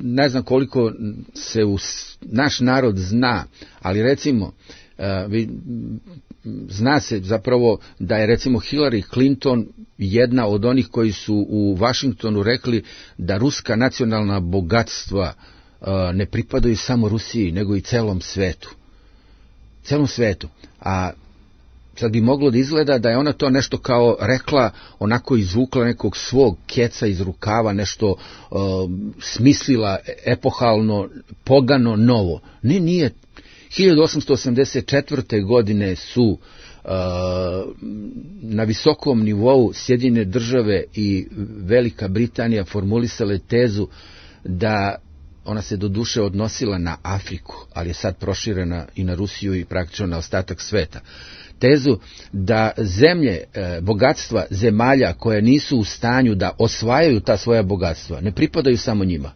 Ne znam koliko se u naš narod zna, ali recimo zna se zapravo da je recimo Hillary Clinton jedna od onih koji su u Vašingtonu rekli da ruska nacionalna bogatstva ne pripadaju samo Rusiji, nego i celom svetu. Celom svetu. A sad bi moglo da izgleda da je ona to nešto kao rekla, onako izvukla nekog svog keca iz rukava, nešto uh, smislila epohalno, pogano, novo. Ne, nije. hiljadu osamsto osamdeset četvrte. godine su uh, na visokom nivou Sjedinjene države i Velika Britanija formulisale tezu da ona se doduše odnosila na Afriku, ali je sad proširena i na Rusiju i praktično na ostatak sveta. Tezu da zemlje, e, bogatstva zemalja koje nisu u stanju da osvajaju ta svoja bogatstva, ne pripadaju samo njima.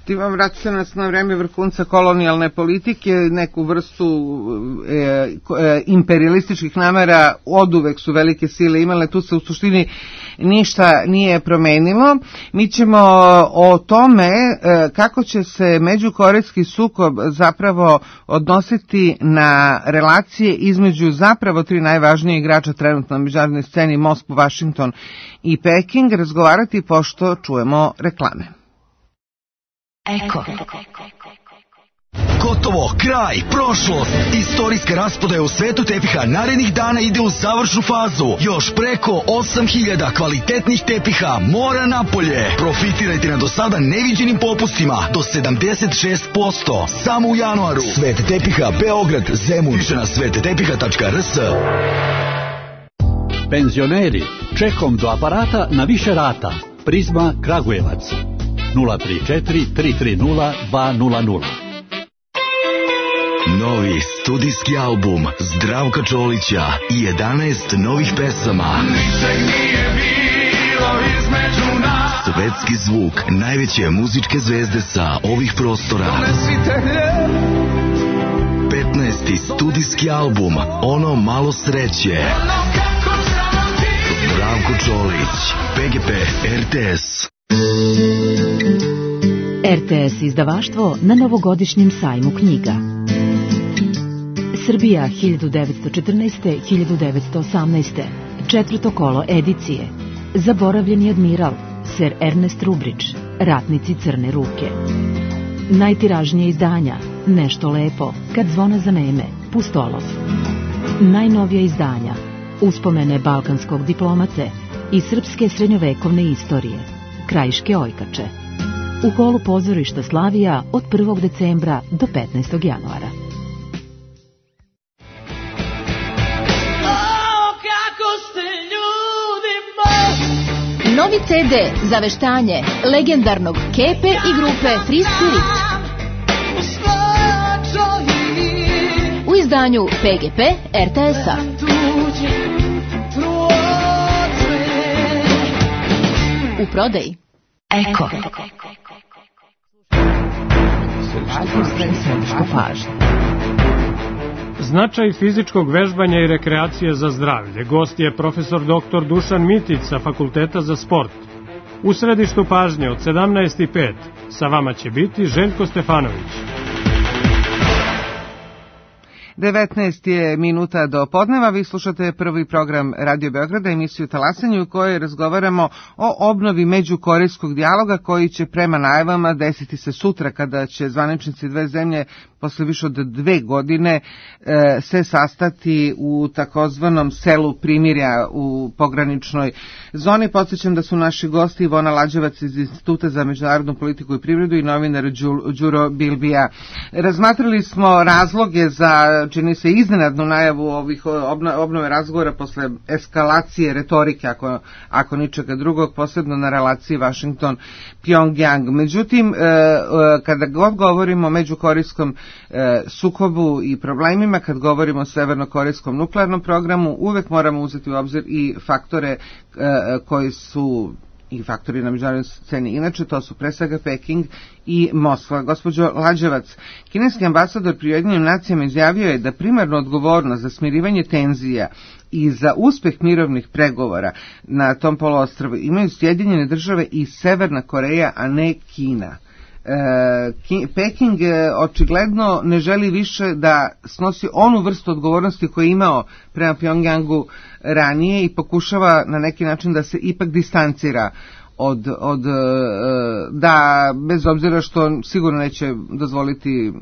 Ti vam vraća nas na vreme vrhunca kolonijalne politike, neku vrstu e, e, imperialističkih namera, oduvek su velike sile imale, tu se u suštini ništa nije promenilo. Mi ćemo o tome e, kako će se međukorejski sukob zapravo odnositi na relacije između zapravo tri najvažnije igrača trenutno na međunarodnoj sceni, Moskvu, Vašington i Peking, razgovarati pošto čujemo reklame. Eko. Gotovo, kraj, prošlost. Istorijska rasprodaja u svetu tepiha narednih dana ide u završnu fazu. Još preko osam hiljada kvalitetnih tepiha mora napolje. Profitirajte na do sada neviđenim popustima do sedamdeset šest posto. Samo u januaru. Svet tepiha Beograd, Zemun. Više na svet tepiha tačka r s. Penzioneri, čekom do aparata na više rata. Prizma Kragujevac. nula tri četiri tri tri nula dva nula nula. Novi studijski album Zdravka Čolića i jedanaest novih pesama. Svetski zvuk najveće muzičke zvezde sa ovih prostora. petnaesti studijski album Ono malo sreće. Zdravko Čolić, P G P, R T S. R T S izdavaštvo na novogodišnjem sajmu knjiga. Srbija hiljadu devetsto četrnaeste do hiljadu devetsto osamnaeste. Četvrto kolo edicije. Zaboravljeni admiral, Ser Ernest Rubrić, Ratnici crne ruke. Najtiražnije izdanja, Nešto lepo, Kad zvona zaneme, Pustolov. Najnovija izdanja, Uspomene balkanskog diplomate i srpske srednjovekovne istorije, Krajiške ojkače. U holu pozorišta Slavija od prvog decembra do petnaestog januara. Novi ce de za veštanje legendarnog Kepe i grupe Free Spirit. U izdanju P G P R T S-a. U prodaji Eko. Značaj fizičkog vežbanja i rekreacije za zdravlje. Gost je profesor doktor Dušan Mitić sa Fakulteta za sport. U središtu pažnje od sedamnaest i pet sa vama će biti Željko Stefanović. devetnaest je minuta do podneva, vi slušate prvi program Radio Beograda, emisiju Talasanje u kojoj razgovaramo o obnovi međukorejskog dijaloga koji će prema najavama desiti se sutra kada će zvaničnici dve zemlje posle više od dve godine e, se sastati u takozvanom selu primirja u pograničnoj zoni. Podsjećam da su naši gosti Ivona Lađevac iz Instituta za međunarodnu politiku i privredu i novinar Đuro Bilbija. Razmatrali smo razloge za, čini se, iznenadnu najavu ovih obnove razgovora posle eskalacije retorike, ako, ako ničega drugog, posebno na relaciji Washington-Pyongyang. Međutim, kada god govorimo o međukorejskom sukobu i problemima, kad govorimo o severnokorejskom nuklearnom programu, uvek moramo uzeti u obzir i faktore koji su i faktori na međunarodnoj sceni. Inače, to su pre svega Peking i Moskva. Gospođo Lađevac, kineski ambasador pri Ujedinjenim nacijama izjavio je da primarnu odgovornost za smirivanje tenzija i za uspeh mirovnih pregovora na tom poluostrvu imaju Sjedinjene države i Severna Koreja, a ne Kina. Peking očigledno ne želi više da snosi onu vrstu odgovornosti koju je imao prema Pyongyangu ranije i pokušava na neki način da se ipak distancira od, od da, bez obzira što sigurno neće dozvoliti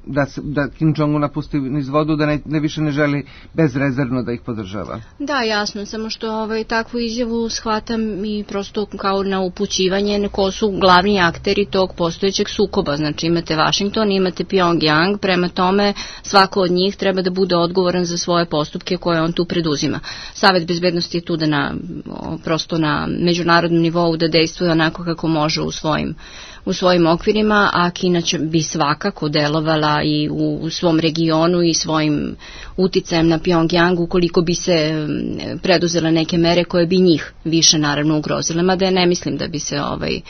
da, se, da Kim Jong-un napusti niz vodu, da ne, ne više ne želi bezrezervno da ih podržava. Da, jasno, samo što ovaj, takvu izjavu shvatam i prosto kao na upućivanje ko su glavni akteri tog postojećeg sukoba. Znači imate Washington, imate Pyongyang, prema tome svako od njih treba da bude odgovoran za svoje postupke koje on tu preduzima. Savet bezbednosti je tu da na, prosto na međunarodnom nivou da dejstvuje onako kako može u svojim u svojim okvirima, a Kina će bi svakako delovala i u, u svom regionu i svojim uticajem na Pyongyang ukoliko bi se preduzele neke mere koje bi njih više naravno ugrozile, mada ja ne mislim da bi se ovaj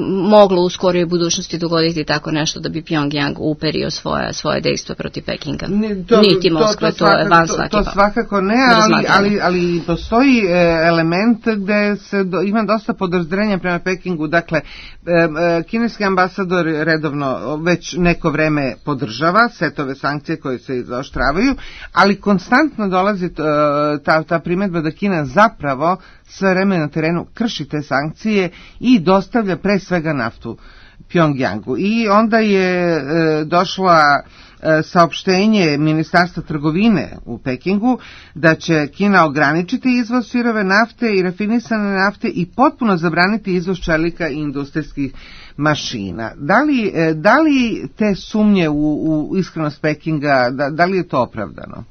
moglo u skorijoj budućnosti dogoditi tako nešto da bi Pyongyang uperio svoje, svoje dejstvo protiv Pekinga. Ne, to, Niti Moskva, to, to, to je van svake. To, to svakako ne, ali, ali, ali postoji e, element gde se do, ima dosta podozrenja prema Pekingu. Dakle, e, e, kineski ambasador redovno već neko vreme podržava setove sankcije koje se izoštravaju, ali konstantno dolazi ta, ta primedba da Kina zapravo sve vreme na terenu krši te sankcije i dostavlja pre svega naftu Pyongyangu. I onda je e, došla e, saopštenje Ministarstva trgovine u Pekingu da će Kina ograničiti izvoz sirove nafte i rafinisane nafte i potpuno zabraniti izvoz čelika i industrijskih mašina. Da li, e, da li te sumnje u, u iskrenost Pekinga, da, da li je to opravdano?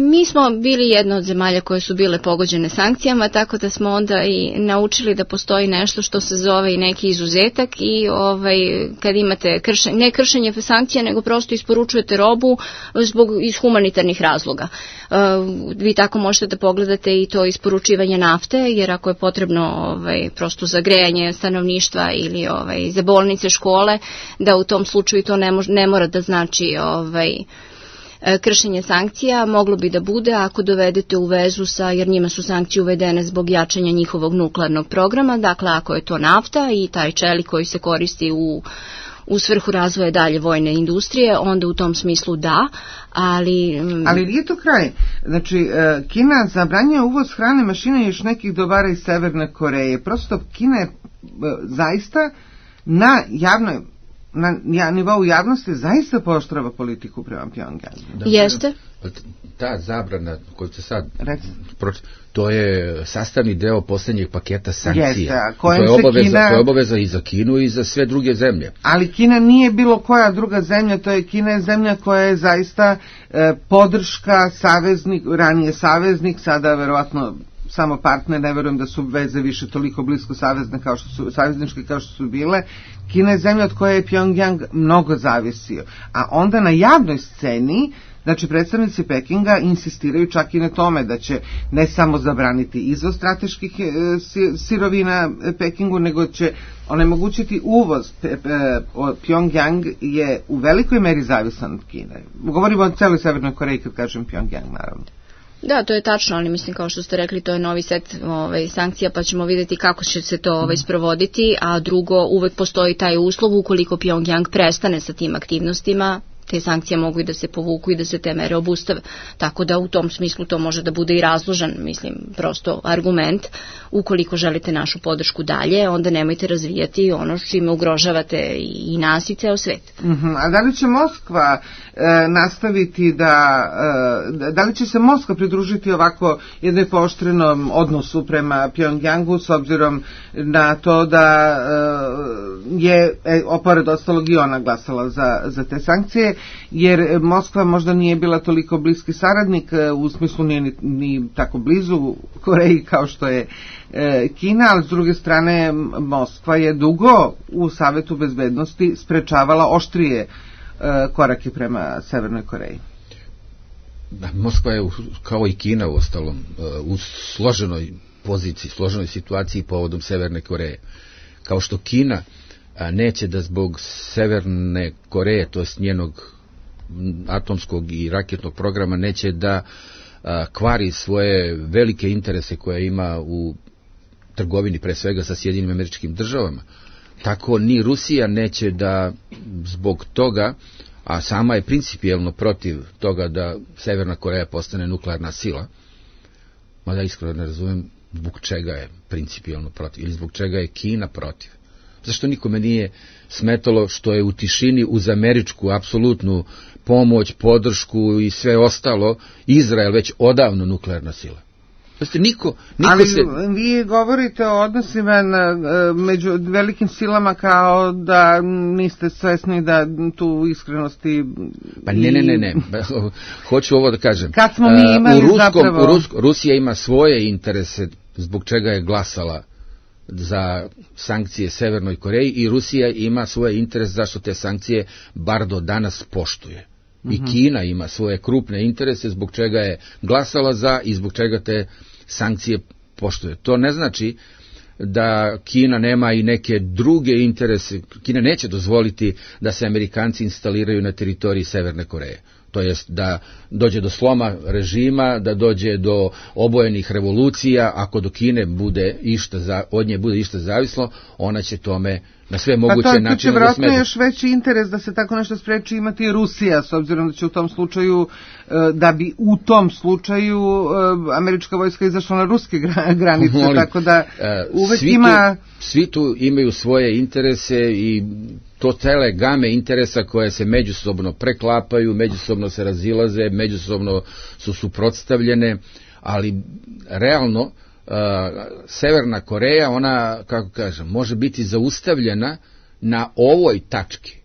Mi smo bili jedna od zemalja koje su bile pogođene sankcijama, tako da smo onda i naučili da postoji nešto što se zove i neki izuzetak i ovaj, kad imate kršenje, ne kršenje sankcija, nego prosto isporučujete robu zbog iz humanitarnih razloga. Uh, vi tako možete da pogledate i to isporučivanje nafte, jer ako je potrebno ovaj, prosto za grejanje stanovništva ili ovaj, za bolnice, škole, da u tom slučaju to ne, mož, ne mora da znači ovaj, kršenje sankcija, moglo bi da bude ako dovedete u vezu sa, jer njima su sankcije uvedene zbog jačanja njihovog nuklearnog programa, dakle ako je to nafta i taj čelik koji se koristi u, u svrhu razvoja dalje vojne industrije, onda u tom smislu da, ali... Ali nije to kraj. Znači, Kina zabranjuje uvoz hrane, mašine i još nekih dobara iz Severne Koreje. Prosto Kina je zaista na javnoj na nivou javnosti zaista pooštrava politiku prema Pyongyangu. Jeste. Ta zabrana koju se sad to je sastavni deo posljednjeg paketa sankcija. Jeste, to je obaveza, Kina... to je obaveza i za Kinu i za sve druge zemlje. Ali Kina nije bilo koja druga zemlja, to je Kina je zemlja koja je zaista e, podrška saveznik, ranije saveznik, sada verovatno samo partner, ne verujem da su veze više toliko blisko savezne kao što su, savezničke kao što su bile. Kina je zemlja od koje je Pyongyang mnogo zavisio. A onda na javnoj sceni, znači predstavnici Pekinga insistiraju čak i na tome da će ne samo zabraniti izvoz strateških sirovina Pekingu, nego će onemogućiti uvoz. Pyongyang je u velikoj meri zavisan od Kine. Govorimo o celoj Severnoj Koreji kad kažem Pyongyang, naravno. Da, to je tačno, ali mislim kao što ste rekli, to je novi set ovaj, sankcija, pa ćemo vidjeti kako će se to ovaj, sprovoditi, a drugo, uvek postoji taj uslov ukoliko Pyongyang prestane sa tim aktivnostima, te sankcije mogu i da se povuku i da se te mere obustave. Tako da u tom smislu to može da bude i razložan, mislim, prosto argument. Ukoliko želite našu podršku dalje, onda nemojte razvijati ono čime ugrožavate i nas i ceo svet. Uh-huh. A da li će Moskva e, nastaviti da, e, da li će se Moskva pridružiti ovako jednoj pooštrenom odnosu prema Pyongyangu s obzirom na to da e, je, e, opored ostalog i ona glasala za, za te sankcije, jer Moskva možda nije bila toliko bliski saradnik, u smislu nije ni, ni tako blizu Koreji kao što je e, Kina, ali s druge strane Moskva je dugo u Savetu bezbednosti sprečavala oštrije e, korake prema Severnoj Koreji. Da, Moskva je kao i Kina u ostalom u složenoj poziciji, složenoj situaciji povodom Severne Koreje. Kao što Kina neće da zbog Severne Koreje, to jest njenog atomskog i raketnog programa, neće da a, kvari svoje velike interese koje ima u trgovini, pre svega sa Sjedinjenim Američkim Državama. Tako ni Rusija neće da zbog toga, a sama je principijelno protiv toga da Severna Koreja postane nuklearna sila, mada iskreno ne razumem zbog čega je principijelno protiv ili zbog čega je Kina protiv. Zašto nikome nije smetalo što je u tišini uz američku apsolutnu pomoć, podršku i sve ostalo Izrael već odavno nuklearna sila. Znači, niko, niko ali se... vi govorite o odnosima na, među velikim silama kao da niste svesni da tu iskrenosti... Pa ne, ne, ne, ne. Hoću ovo da kažem. Kad smo mi imali u ruskom, zapravo... U Rusko, Rusija ima svoje interese zbog čega je glasala za sankcije Severnoj Koreji i Rusija ima svoje interese zašto te sankcije bar do danas poštuje. I uh-huh. Kina ima svoje krupne interese zbog čega je glasala za i zbog čega te sankcije poštuje. To ne znači da Kina nema i neke druge interese. Kina neće dozvoliti da se Amerikanci instaliraju na teritoriji Severne Koreje. To jest da dođe do sloma režima, da dođe do obojenih revolucija. Ako do Kine bude išta za, od nje bude išta zavislo, ona će tome na sve moguće načine da smeti. Pa to će vjerojatno još veći interes da se tako nešto spreči imati i Rusija, s obzirom da će u tom slučaju, da bi u tom slučaju američka vojska izašla na ruske granice, Molim, tako da uvek svi ima... Tu, svi tu imaju svoje interese i to cele game interesa koje se međusobno preklapaju, međusobno se razilaze, međusobno su suprotstavljene, ali realno uh, Severna Koreja, ona, kako kažem, može biti zaustavljena na ovoj tački,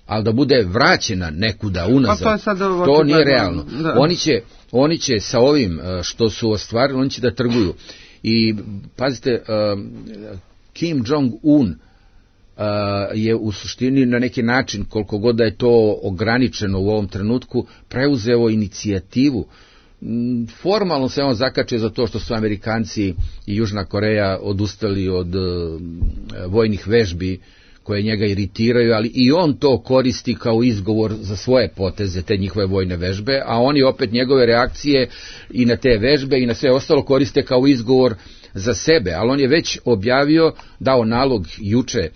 ali da bude vraćena nekuda unazad, to, je sad to nije realno. Da. Oni će, oni će sa ovim što su ostvarili, oni će da trguju. I pazite, uh, Kim Jong-un Uh, je u suštini na neki način, koliko god da je to ograničeno u ovom trenutku, preuzeo inicijativu. Formalno se on zakače za to što su Amerikanci i Južna Koreja odustali od uh, vojnih vežbi koje njega iritiraju, ali i on to koristi kao izgovor za svoje poteze, te njihove vojne vežbe, a oni opet njegove reakcije i na te vežbe i na sve ostalo koriste kao izgovor za sebe, ali on je već objavio, dao nalog juče e,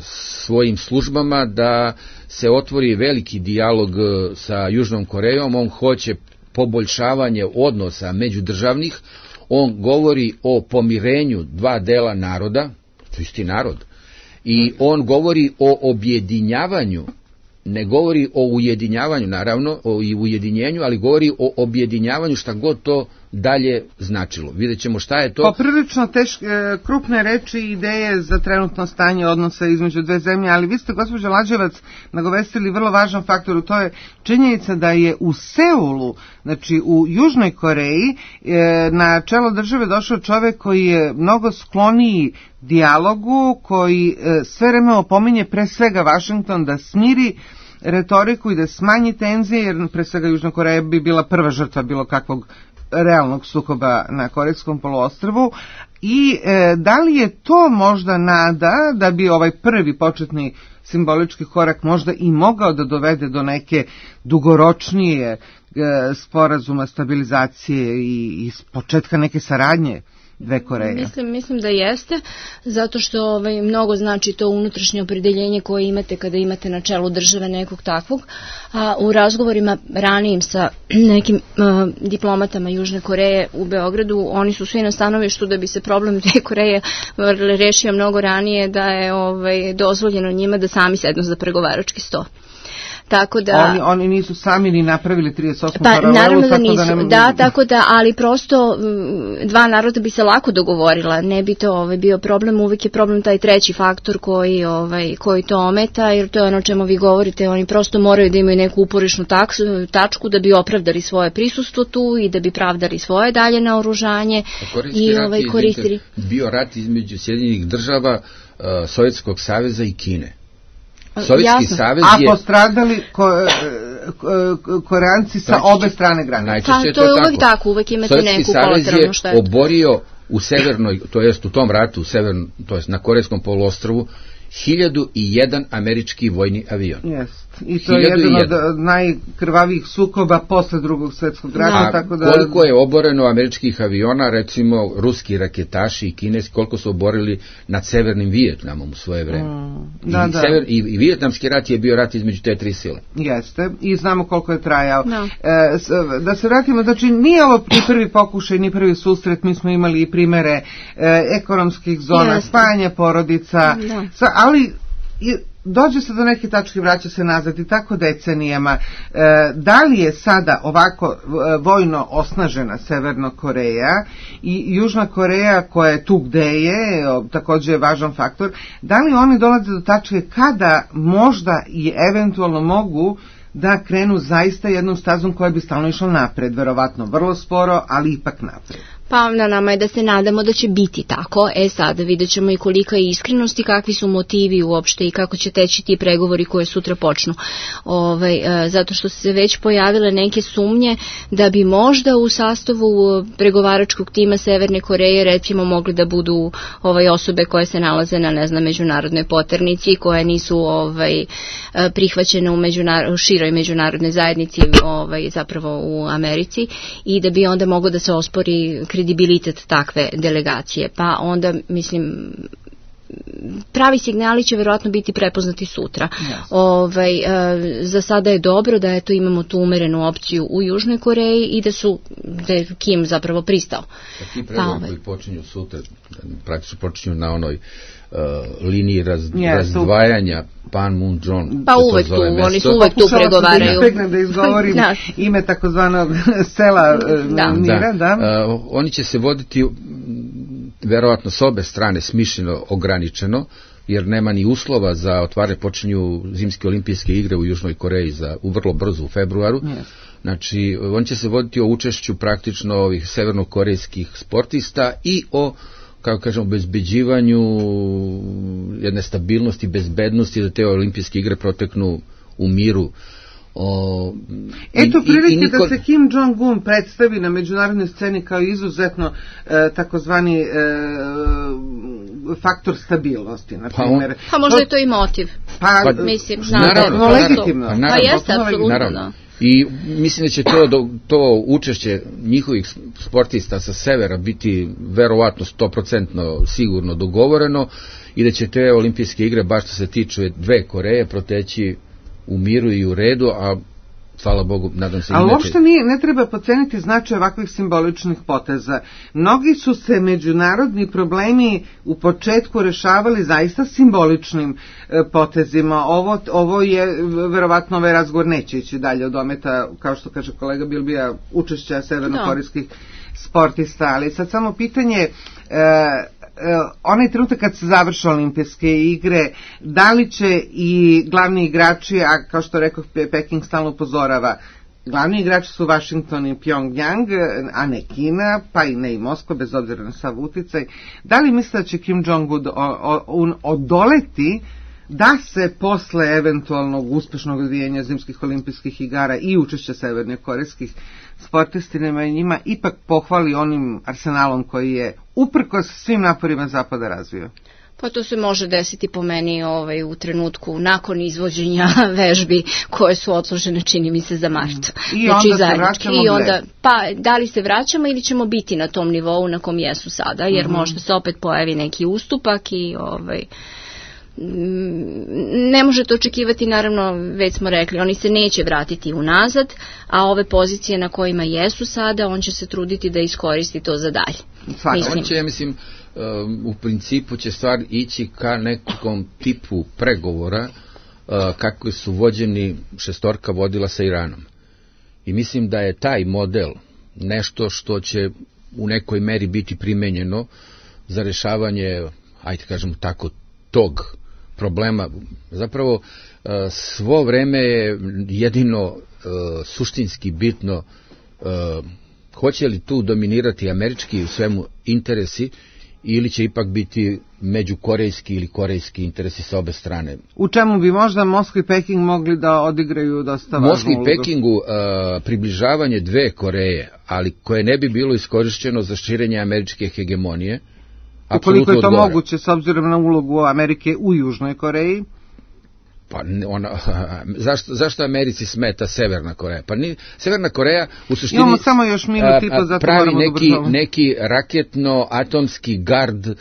svojim službama da se otvori veliki dijalog sa Južnom Korejom. On hoće poboljšavanje odnosa međudržavnih, on govori o pomirenju dva dela naroda, to je isti narod, i on govori o objedinjavanju, ne govori o ujedinjavanju naravno, o ujedinjenju, ali govori o objedinjavanju šta god to dalje značilo. Vidjet ćemo šta je to. Poprilično teške, krupne reči i ideje za trenutno stanje odnosa između dve zemlje, ali vi ste, gospođo Lađevac, nagovestili vrlo važan faktor, to je činjenica da je u Seulu, znači u Južnoj Koreji, na čelo države došao čovek koji je mnogo skloniji dijalogu, koji sve vreme opominje pre svega Vašington da smiri retoriku i da smanji tenzije, jer pre svega Južna Koreja bi bila prva žrtva bilo kakvog realnog sukoba na Korejskom poluostrvu. I e, da li je to možda nada da bi ovaj prvi početni simbolički korak možda i mogao da dovede do neke dugoročnije e, sporazuma, stabilizacije i, i početka neke saradnje dve Koreje? Mislim, mislim da jeste, zato što ovaj, mnogo znači to unutrašnje opredeljenje koje imate kada imate na čelu države nekog takvog, a u razgovorima ranijim sa nekim uh, diplomatama Južne Koreje u Beogradu, oni su svi na stanovištu da bi se problem dve Koreje rešio mnogo ranije, da je ovaj, dozvoljeno njima da sami sednu za pregovarački sto. Tako da oni oni nisu sami ni napravili trideset osmu pa, paralelu, naravno da nisu. Da, ne... da, tako da, ali prosto dva naroda bi se lako dogovorila, ne bi to ovaj bio problem, uvijek je problem taj treći faktor koji ovaj koji to ometa, jer to je ono o čemu vi govorite, oni prosto moraju da imaju neku uporišnu taksu, tačku da bi opravdali svoje prisustvo tu i da bi pravdali svoje dalje naoružanje i ovaj koristili. Bio rat između Sjedinjenih država, uh, Sovjetskog saveza i Kine. Sovjetski savez je... A postradali ko, ko, Koreanci sa najčešće, obe strane granice. Najčešće pa, to je to uvek tako, uvek imate neku kolateralnu štetu. Sovjetski savez je oborio u severnoj, to jest u tom ratu, u severn, to jest na Korejskom poluostrvu, hiljadu i jedan američki vojni avion. Jest. I to je jedan od najkrvavijih sukoba posle drugog svjetskog rata. A tako da... koliko je oboreno američkih aviona, recimo ruski raketaši i kineski, koliko su oborili nad severnim Vijetnamom u svoje vreme. Mm, da, I, da. Sever, i, I vijetnamski rat je bio rat između te tri sile. Jeste. I znamo koliko je trajao. No. E, da se vratimo, znači nije ovo ni prvi pokušaj, ni prvi susret, mi smo imali i primere e, ekonomskih zona, spajanja porodica, no. sa, ali... I, dođe se do neke tačke, vraća se nazad i tako decenijama. E, da li je sada ovako vojno osnažena Severna Koreja i Južna Koreja koja je tu gde je, takođe je važan faktor, da li oni dolaze do tačke kada možda i eventualno mogu da krenu zaista jednom stazom koja bi stalno išla napred, verovatno vrlo sporo, ali ipak napred? Pa na nama je da se nadamo da će biti tako. E sad vidjet ćemo i kolika je iskrenost i kakvi su motivi uopšte i kako će teći ti pregovori koje sutra počnu. Ovaj, e, zato što su se već pojavile neke sumnje da bi možda u sastavu pregovaračkog tima Severne Koreje recimo mogli da budu ovaj, osobe koje se nalaze na ne znam, međunarodnoj poternici, koje nisu ovaj, prihvaćene u, međunar u široj međunarodnoj zajednici, ovaj, zapravo u Americi, i da bi onda moglo da se ospori kredibilitet takve delegacije. Pa onda, mislim, pravi signali će verovatno biti prepoznati sutra. Yes. Ovaj, e, za sada je dobro da eto imamo tu umerenu opciju u Južnoj Koreji i da su da je Kim zapravo pristao. A ti pregovori pa, koji počinju sutra, praktično počinju na onoj uh, liniji raz, yes, razdvajanja Panmunjom. Pa uvek tu, oni su uvek tu pregovaraju. Pokušala da izgovorim da. ime takozvanog sela da. Mira, da. da. Uh, oni će se voditi verovatno s obe strane smišljeno ograničeno, jer nema ni uslova za otvaranje, počinju zimske olimpijske igre u Južnoj Koreji za, u vrlo brzo u februaru. Yes. Znači, on će se voditi o učešću praktično ovih severnokorejskih sportista i o, kako kažemo, obezbeđivanju jedne stabilnosti, bezbednosti da te olimpijske igre proteknu u miru. O, Eto prilike niko... da se Kim Jong-un predstavi na međunarodnoj sceni kao izuzetno e, takozvani e, faktor stabilnosti, na primjer. Pa, pa možda je to i motiv. Pa, pa mislim, naravno, naravno, legitimno. Pa, pa jeste, apsolutno. I mislim da će to, to učešće njihovih sportista sa severa biti verovatno sto posto sigurno dogovoreno i da će te olimpijske igre, baš što se tiče dve Koreje, proteći u miru i u redu, a hvala Bogu, nadam se... Ali uopšte nije, ne treba podceniti značaj ovakvih simboličnih poteza. Mnogi su se međunarodni problemi u početku rešavali zaista simboličnim e, potezima. Ovo, ovo je, verovatno ovaj razgovor neće ići dalje od dometa, kao što kaže kolega Bilbija, učešća severnokorejskih sportista, ali sad samo pitanje, e, onaj trenutak kad se završe olimpijske igre, da li će i glavni igrači, a kao što rekao Peking stalno upozorava, glavni igrači su Washington i Pyongyang, a ne Kina, pa i ne i Moskva, bez obzira na sav uticaj, da li misle da će Kim Jong-un odoleti da se posle eventualnog uspešnog odvijanja zimskih olimpijskih igara i učešća severnokorejskih sportistima i njima ipak pohvali onim arsenalom koji je uprkos svim naporima Zapada razvio? Pa to se može desiti po meni ovaj, u trenutku nakon izvođenja vežbi koje su odložene, čini mi se, za mart. I znači, onda se vraćamo I onda, pa da li se vraćamo ili ćemo biti na tom nivou na kom jesu sada, jer mm-hmm. možda se opet pojavi neki ustupak i ovaj... ne možete očekivati, naravno, već smo rekli, oni se neće vratiti unazad, a ove pozicije na kojima jesu sada, on će se truditi da iskoristi to za dalje. Mislim. On će, ja mislim, u principu će stvar ići ka nekom tipu pregovora kako su vođeni šestorka vodila sa Iranom. I mislim da je taj model nešto što će u nekoj meri biti primenjeno za rešavanje, ajde kažemo tako, tog problema. Zapravo svo vreme je jedino suštinski bitno hoće li tu dominirati američki u svemu interesi ili će ipak biti međukorejski ili korejski interesi sa obe strane. U čemu bi možda Moskva i Peking mogli da odigraju dosta važnu ulogu? Moskvi i Pekingu uh, približavanje dve Koreje, ali koje ne bi bilo iskorišćeno za širenje američke hegemonije. Ukoliko je to odgovara. Moguće s obzirom na ulogu Amerike u Južnoj Koreji? Pa ona, zašto, zašto Americi smeta Severna Koreja? Pa ni, Severna Koreja u suštini imamo samo još minut i po, zato pravi neki, da neki raketno-atomski gard uh,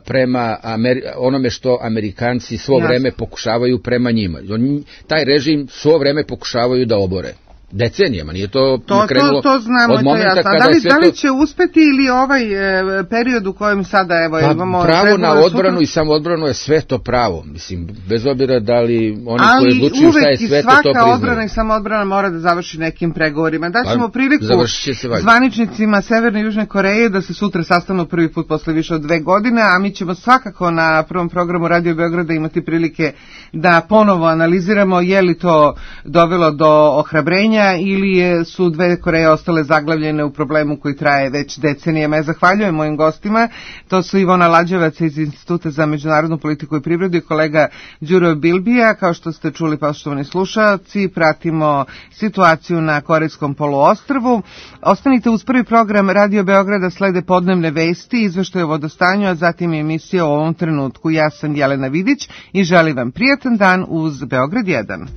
prema Ameri, onome što Amerikanci svo Jasne. vreme pokušavaju prema njima. On, taj režim svo vreme pokušavaju da obore. Decenijama, nije to, to krenulo to, to znamo, od momenta kada kada da li, je sve da li to... će uspeti ili ovaj e, period u kojem sada evo pa, imamo... pravo na odbranu i samo odbranu je sve to pravo, mislim, bez obzira da li oni ali koji odlučuju šta je sve to to priznaju. Ali uvek i svaka odbrana i samo odbrana mora da završi nekim pregovorima. Daćemo pa, priliku zvaničnicima Severne i Južne Koreje da se sutra sastanu prvi put posle više od dve godine, a mi ćemo svakako na prvom programu Radio Beograda imati prilike da ponovo analiziramo je li to dovelo do ohrabrenja ili je su dve Koreje ostale zaglavljene u problemu koji traje već decenijama. Ja zahvaljujem mojim gostima, to su Ivona Lađevac iz Instituta za međunarodnu politiku i privredu i kolega Đuro Bilbija. Kao što ste čuli, poštovani slušalci, pratimo situaciju na Korejskom poluostrvu. Ostanite uz prvi program Radio Beograda, slede podnevne vesti, izveštaj o vodostanju, a zatim emisija o ovom trenutku. Ja sam Jelena Vidić i želim vam prijatan dan uz Beograd jedan.